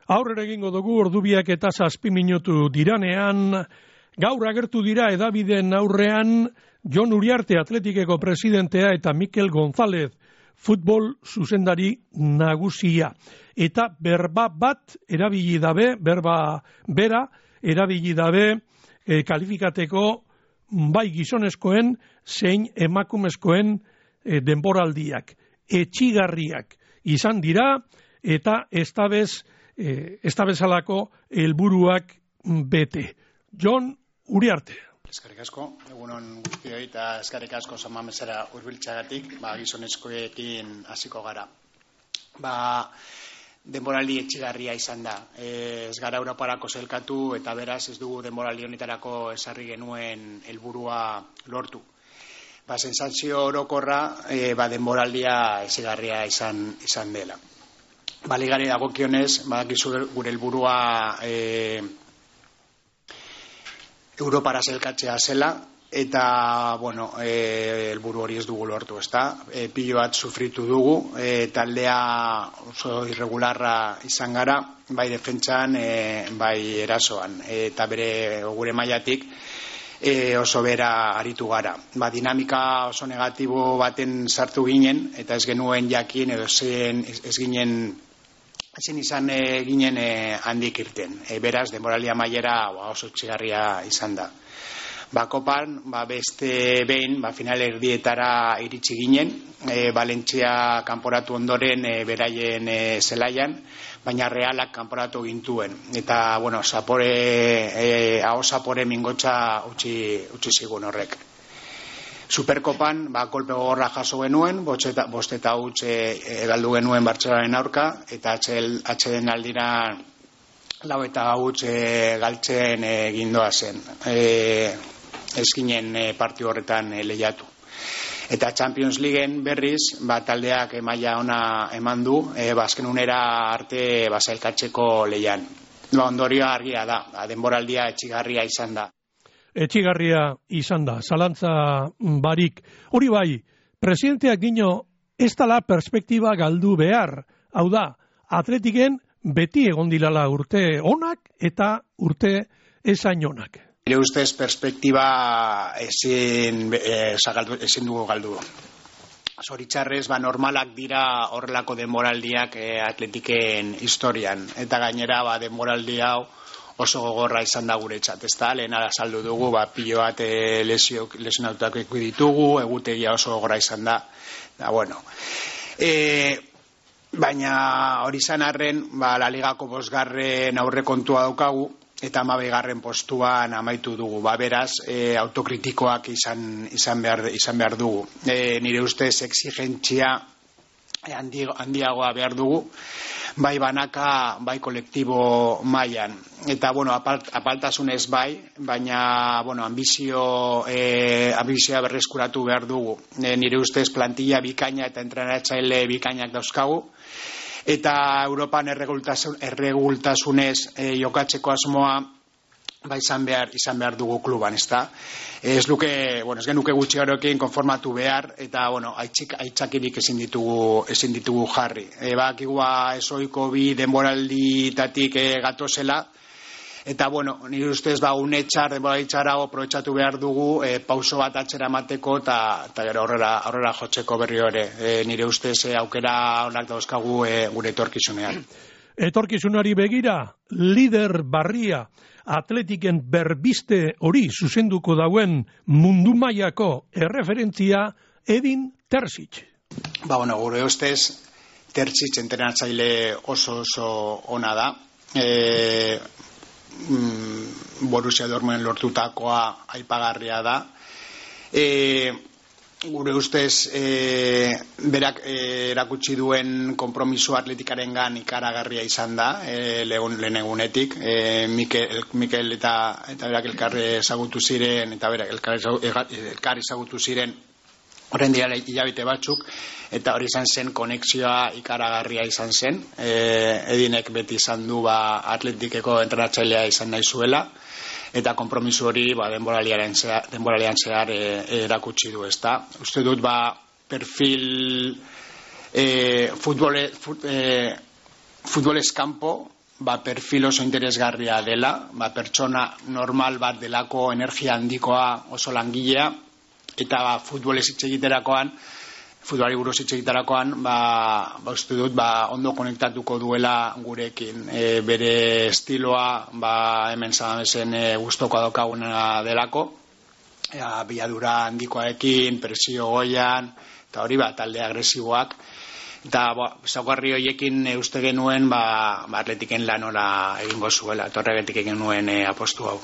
Aurrera egingo dugu ordubiak eta 7 minutu diranean, gaur agertu dira hedabideen aurrean Jon Uriarte Atletikeko presidentea eta Mikel González futbol zuzendari nagusia. Eta berba bat erabili dabe, berba bera erabili dabe kalifikateko bai gizonezkoen zein emakumezkoen denboraldiak. Etxigarriak izan dira eta ez da bezalako helburuak bete. Jon Uriarte. Eskerrik asko, egunon guztioi eta eskerrik asko Samamesera hurbiltzeagatik, gizonezkoekin hasiko gara. Denboraldi etxigarria izan da. Ez gara Europarako zelkatu eta beraz ez dugu denboraldi honetarako esarri genuen helburua lortu. Sentsazio orokorra denboraldia etxigarria izan dela. Ligari dagokionez, badakizu gure helburua Europara zelkatzea zela, eta, helburu hori ez dugu lortu, ezta? Pilo bat sufritu dugu, taldea oso irregularra izan gara, bai defentsan, bai erasoan, eta gure mailatik oso bera aritu gara. Dinamika oso negatibo baten sartu ginen, eta ez genuen jakin, edo ezin izan ginen handik irten. Beraz, denboralia mailera oso etxigarria izan da. Kopan, beste behin, final erdietara iritsi ginen, Valentzia kanporatu ondoren beraien zelaian, baina Realak kanporatu gintuen. Eta, aho zapore mingotxa utzi zigun horrek. Superkopan, kolpe gogorra jaso genuen, bost eta huts galdu genuen Bartzelonaren aurka, eta atxeden aldira 4 eta huts galtzen gindoa zen. Ez ginen partiu horretan lehiatu. Eta Champions Leagueen berriz, taldeak maila ona eman du, azken unera arte zailkatzeko lehian. Ondorioa argia da, denboraldia etxigarria izan da. Etxigarria izan da, zalantza barik. Hori bai, presidenteak dino ez dala perspektiba galdu behar. Hau da, Atletiken beti egon dilala urte onak eta urte ezain onak. Nire ustez perspektiba ezin dugu galdu. Zoritxarrez, normalak dira horrelako denboraldiak Atletiken historian. Eta gainera, denboraldi hau oso gogorra izan da guretzat, ezta? Lehen azaldu dugu, pilo bat lesionatuak ditugu, egutegia oso gogorra izan da. Baina hori izan arren, La Ligako 5. aurrekontua daukagu, eta 12. postuan amaitu dugu. Beraz, autokritikoak izan behar dugu. Nire ustez exigentzia handiagoa behar dugu, bai banaka, bai kolektibo mailan. Eta, apaltasunez bai, baina, ambizioa berreskuratu behar dugu. Nire ustez plantilla bikaina eta entrenatzaile bikainak dauzkagu, eta Europan erregultasunez jokatzeko asmoa izan behar dugu kluban, ezta? Ez genuke gutxi horrekin konformatu behar, eta aitzakirik ezin ditugu jarri. Bakigua ezoiko bi denboralditatik gatozela, eta nire ustez denboraldi txarra aprobetxatu behar dugu pauso bat atzera emateko eta gero aurrera jotzeko berri hori. Nire ustez aukera onak dauzkagu gure etorkizunean. Etorkizunari begira, lider barria Atletiken berbiste hori zuzenduko dauen mundu mailako erreferentzia Edin Terzic. Gure ustez, Terzic entrenatzaile oso ona da. Borussia Dortmunden lortutakoa aipagarria da. Gure ustez, berak erakutsi duen konpromiso Atleticarengan ikaragarria izan da, lehen egunetik. Mikel eta berak elkarri ezagutu ziren, eta berak elkarri ezagutu ziren horren dira hilabete batzuk, eta hori izan zen konexioa ikaragarria izan zen. Edinek beti izan du Atletikeko entrenatzailea izan nahi zuela, eta konpromiso hori denboralian zehar erakutsi du, ezta? Uste dut perfil futbolez kanpo perfil oso interesgarria dela, pertsona normal bat delako, energia handikoa, oso langilea, eta futbolez hitz egiterakoan, futbolari buruz hitz egiterakoan, uste dut, ondo konektatuko duela gurekin. Bere estiloa, hemen Sadamezen gustoko daukaguna delako, biadura handikoarekin, presio goian, eta hori talde agresiboak, eta zaugarri horiekin uste genuen Atletiken lanora egingo zuela, eta horregatik egin nuen apostu hau.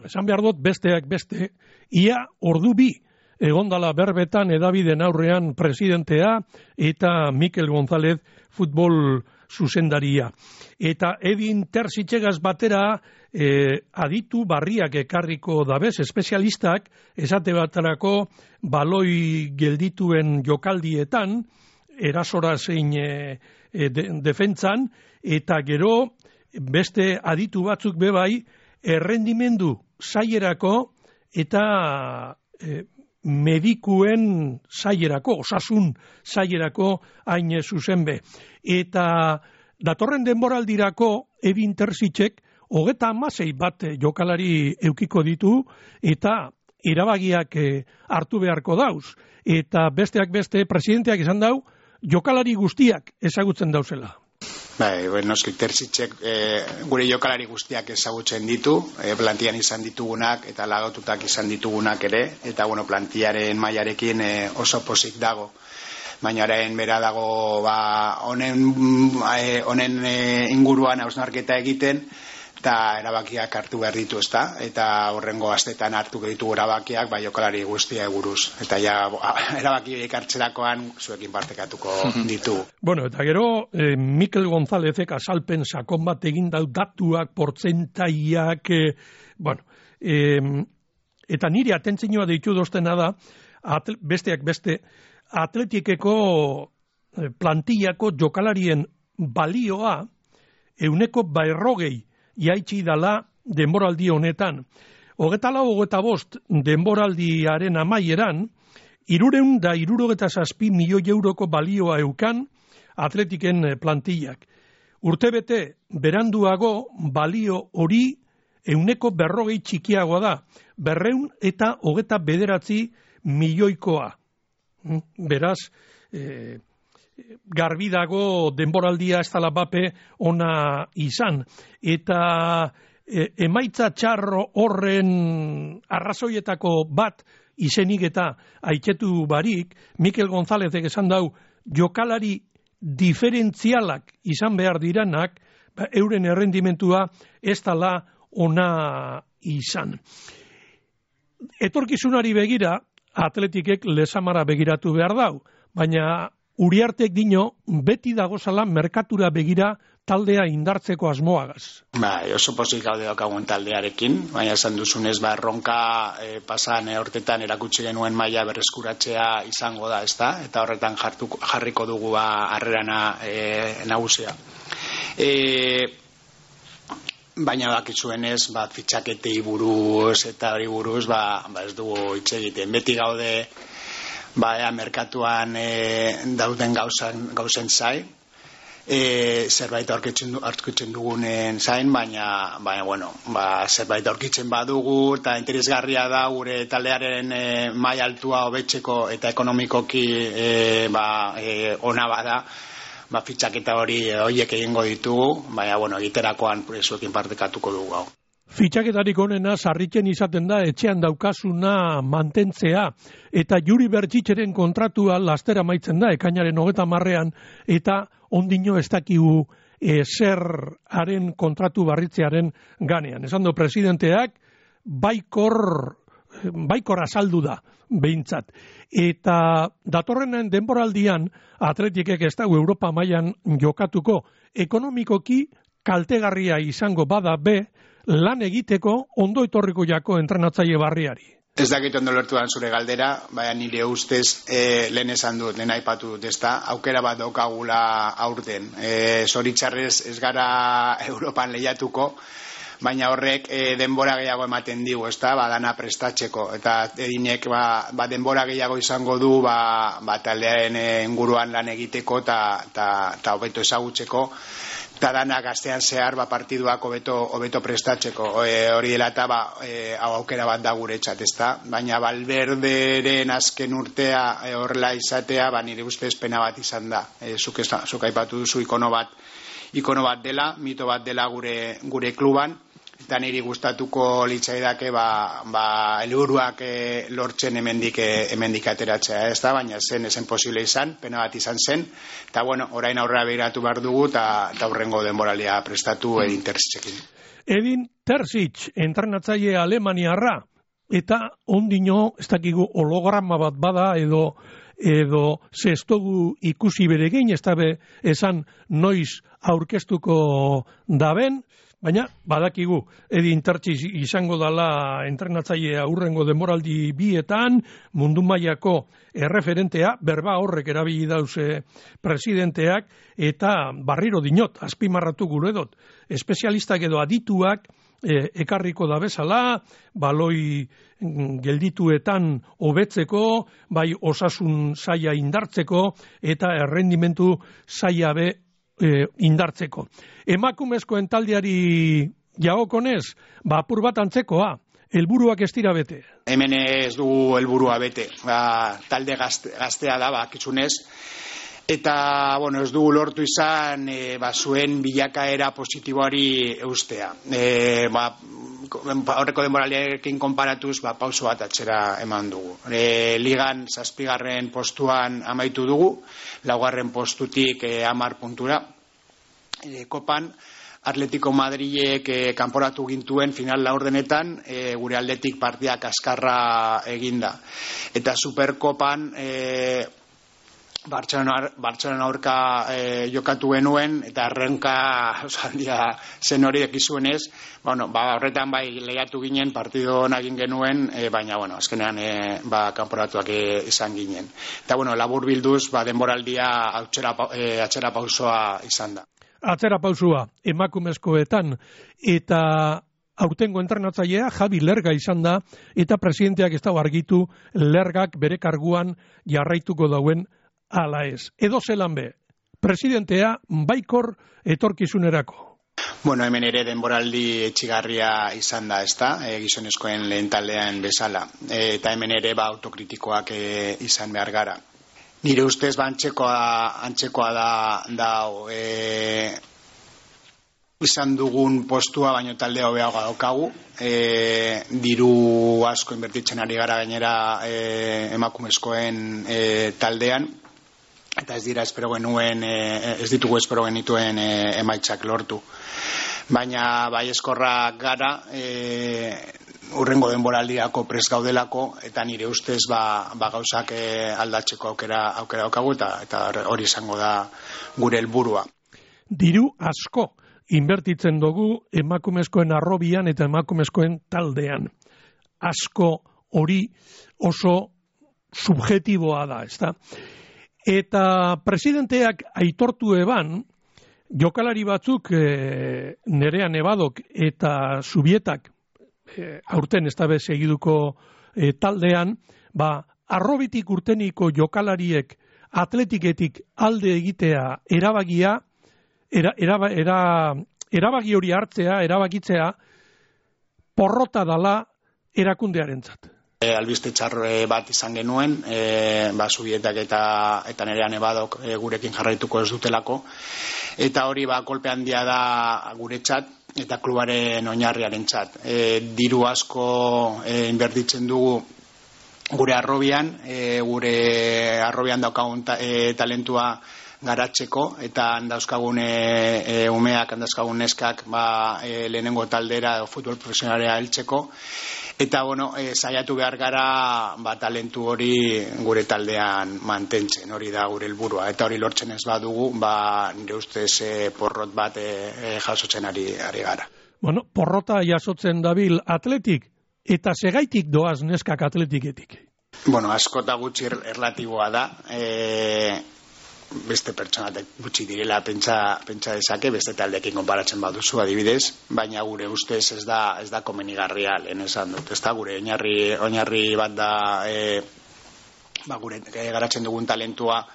Esan behar dut besteak beste, ia ordu bi egondala berbetan edabiden aurrean presidentea eta Mikel González futbol zuzendaria. Eta Edin Terzitzegaz batera aditu barriak ekarriko dabez, espezialistak esate baterako baloi geldituen jokaldietan, erasora zein defentzan, eta gero beste aditu batzuk bebai, errendimendu zailerako eta medikuen zailerako, osasun zailerako hain zuzen be. Eta datorren denboraldirako Edin Terzitzek 36 bat jokalari eukiko ditu eta erabagiak hartu beharko dauz. Eta besteak beste presidenteak esan dau jokalari guztiak ezagutzen dauzela. Noski Terzitzek gure jokalari guztiak ezagutzen ditu, plantian izan ditugunak eta lagatutak izan ditugunak ere, eta plantiaren mailarekin oso pozik dago. Baina orain bera dago honen inguruan hausnarketa egiten, eta erabakiak hartu behar ditu, ezta? Eta horrengo astetan hartu ditugu erabakiak jokalari guztia buruz. Eta erabaki hartzerakoan zuekin partekatuko ditu. Eta gero Mikel Gonzálezek azalpen sakon bat egin dau datuak, portzentaiak, eta nire atentzioa deitu doztena da, besteak beste, Atletikeko plantillako jokalarien balioa 40% jaitsi dala denboraldi honetan. 24-25 denboraldiaren amaieran, 367 milioi euroko balioa eukan Atletiken plantillak. Urtebete beranduago balio hori 40% txikiagoa da, 229 milioikoa. Beraz, garbi dago denboraldia ez dela bape ona izan. Eta emaitza txarro horren arrazoietako bat izenik eta aitzetu barik, Mikel Gonzálezek esan dau jokalari diferentzialak izan behar diranak, euren errendimentua ez dela ona izan. Etorkizunari begira, Atletikek Lesamara begiratu behar dau, baina Uriartek dino beti dagozala merkatura begira taldea indartzeko asmoagaz. Oso pozik gaude daukagun taldearekin, baina esan duzunez erronka pasan hortetan erakutsi genuen maila berreskuratzea izango da, ezta? Eta horretan jarriko dugu harrerana nagusia. Baina bakizuenez, fitxaketei buruz eta hori buruz, ez dugu hitz egiten. Beti gaude merkatuan dauden gauzen zain, zerbait aurkitzen dugunen zain, baina zerbait aurkitzen badugu, eta interesgarria da gure taldearen maila altua hobetzeko eta ekonomikoki ona bada, fitxaketa horiek egingo ditugu, baina egiterakoan zuekin partekatuko dugu hau. Fitxaketarik onena sarritzen izaten da etxean daukasuna mantentzea, eta Juri Bertzitzeren kontratua lastera amaitzen da ekainaren 30ean, eta ondino ez dakigu zeraren kontratu barritzearen ganean. Esan du presidenteak baikor azaldu da behintzat. Eta datorrenen denboraldian Atletikek ez dago Europa mailan jokatuko, ekonomikoki kaltegarria izango bada be, lan egiteko ondo etorriko jako entrenatzaile barriari. Ez dakit ondo lertuan zure galdera, baina nire ustez lehen esan dut, lehen aipatu dut, ezta, aukera bat daukagula aurten. Zoritxarrez ez gara Europan lehiatuko, baina horrek denbora gehiago ematen digu, ezta, dana prestatzeko, eta edinek denbora gehiago izango du taldearen inguruan lan egiteko eta hobeto ezagutzeko, eta danak astean zehar partiduak hobeto prestatzeko. Hori dela eta aukera bat da guretzat, ezta? Baina Valverderen azken urtea horrela izatea, nire ustez pena bat izan da. Zuk aipatu duzu ikono bat dela, mito bat dela gure kluban, eta niri gustatuko litzaidake helburuak lortzen hemendik ateratzea, ez da, baina zen posible izan, pena bat izan zen, eta orain aurrera begiratu behar dugu eta aurrengo denboralia prestatu Edin Terzitzekin. Edin Terzic, entrenatzaile alemaniarra, eta ondino ez dakigu holograma bat bada edo zestogu ikusi beregin, ez dabe esan noiz aurkeztuko daben, baina badakigu Edin Terzic izango dala entrenatzailea hurrengo denboraldi bietan, mundu mailako erreferentea, berba horrek erabili dauze presidenteak, eta barriro dinot, azpimarratu gure dut, espezialistak edo adituak ekarriko da bezala, baloi geldituetan hobetzeko, bai osasun saila indartzeko, eta errendimentu saila be indartzeko. Emakumezkoen taldeari jagokonez, apur bat antzekoa, helburuak ez dira bete. Hemen ez dugu helburua bete, talde gaztea da, kitxunez, eta ez dugu lortu izan zuen bilakaera positiboari eustea. Horreko denboralekin konparatuz pauso bat atzera eman dugu. Ligan 7. postuan amaitu dugu, 4. postutik 10 puntura. Kopan Atletico Madrilek kanporatu gintuen final laurdenetan, gure aldetik partidak askarra eginda. Eta Superkopan Bartzelona aurka jokatu genuen, eta errenka zen hori ekizuenez, horretan lehiatu ginen, partido nagin genuen, baina azkenean kanporatuak izan ginen. Eta labur bilduz, denboraldia atzera pausoa izan da. Atzera pausua emakumezkoetan, eta aurtengo entrenatzailea Javi Lerga izan da, eta presidenteak ez dago argitu Lergak bere karguan jarraituko dauen ala ez. Edo zelan be, presidentea baikor etorkizunerako. Hemen ere denboraldi etxigarria izan da, ezta, gizonezkoen lehen taldean bezala, eta hemen ere autokritikoak izan behar gara. Nire ustez antzekoa da izan dugun postua, baino talde hobeagoa daukagu, diru asko inbertitzen ari gara gainera emakumezkoen taldean, eta ez ditugu espero genituen emaitzak lortu. Baina baiezkorrak gara, urrengo denboraldiako prest gaudelako, eta nire ustez gauzak aldatzeko aukera daukagu, eta hori izango da gure helburua. Diru asko inbertitzen dugu emakumezkoen arrobian eta emakumezkoen taldean. Asko hori oso subjetiboa da, ezta? Eta presidenteak aitortu eban, jokalari batzuk Nerea Nevadok eta Zubietak aurten ez dabe segiduko taldean, arrobitik urteniko jokalariek atletiketik alde egitea erabaki hori hartzea, erabakitzea porrota dala erakundearentzat. Albiste txarre bat izan genuen, Zubietak eta Nerea Nevadok gurekin jarraituko ez dutelako, eta hori kolpe handia da guretzat eta klubaren oinarriarentzat. Diru asko inbertitzen dugu gure arrobian daukagun talentua garatzeko, eta handauzkagun umeak, handauzkagun neskak lehenengo taldera futbol profesionalera heltzeko, eta saiatu behar gara talentu hori gure taldean mantentzen, hori da gure helburua, eta hori lortzen ez badugu, nire ustez porrot bat jasotzen ari gara. Porrota jasotzen dabil atletik, eta segaitik doaz neskak atletiketik? Askota gutxi erlatiboa da, beste pertsonatek gutxi direla pentsa dezake, beste taldeekin konparatzen baduzu adibidez, baina gure ustez ez da komenigarria lehen esan dut, ez da gure oinarri bat da gure garatzen dugun talentua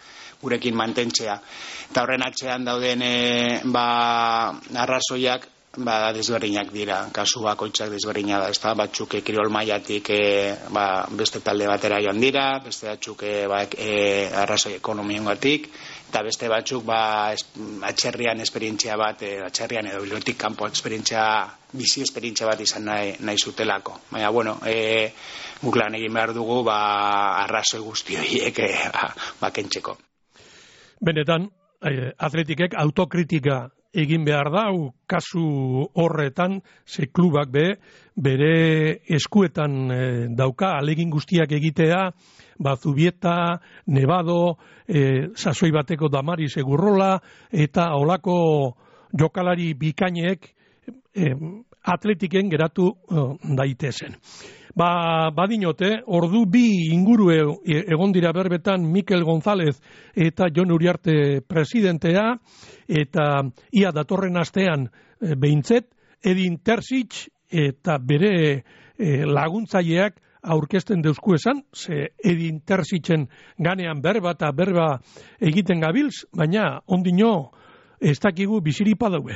gurekin mantentzea. Eta horren atzean dauden arrazoiak desberdinak dira, kasu bakoitzak desberdina da, ezta? Batzuk kirol mailatik beste talde batera joan dira, beste batzuk arrazoi ekonomikoengatik, eta beste batzuk atzerrian esperientzia bat, atzerrian edo bilotik kanpo bizi esperientzia bat izan nahi zutelako. Baina, bueno, guk lan egin behar dugu arrazoi guzti horiek kentzeko. Benetan, atletikek autokritika egin behar da, kasu horretan, ze klubak bere eskuetan dauka, alegin guztiak egitea, Zubieta, Nevado, sasoi bateko Damaris Egurrola, eta olako jokalari bikainek atletiken geratu daitezen. Badinote, ordu bi inguru egon dira berbetan Mikel González eta Jon Uriarte presidentea, eta ia datorren astean behintzet, Edin Terzic eta bere laguntzaileak aurkezten deusku esan, ze Edin Terzicen ganean berba egiten gabiltz, baina ondino ez dakigu biziripa daue.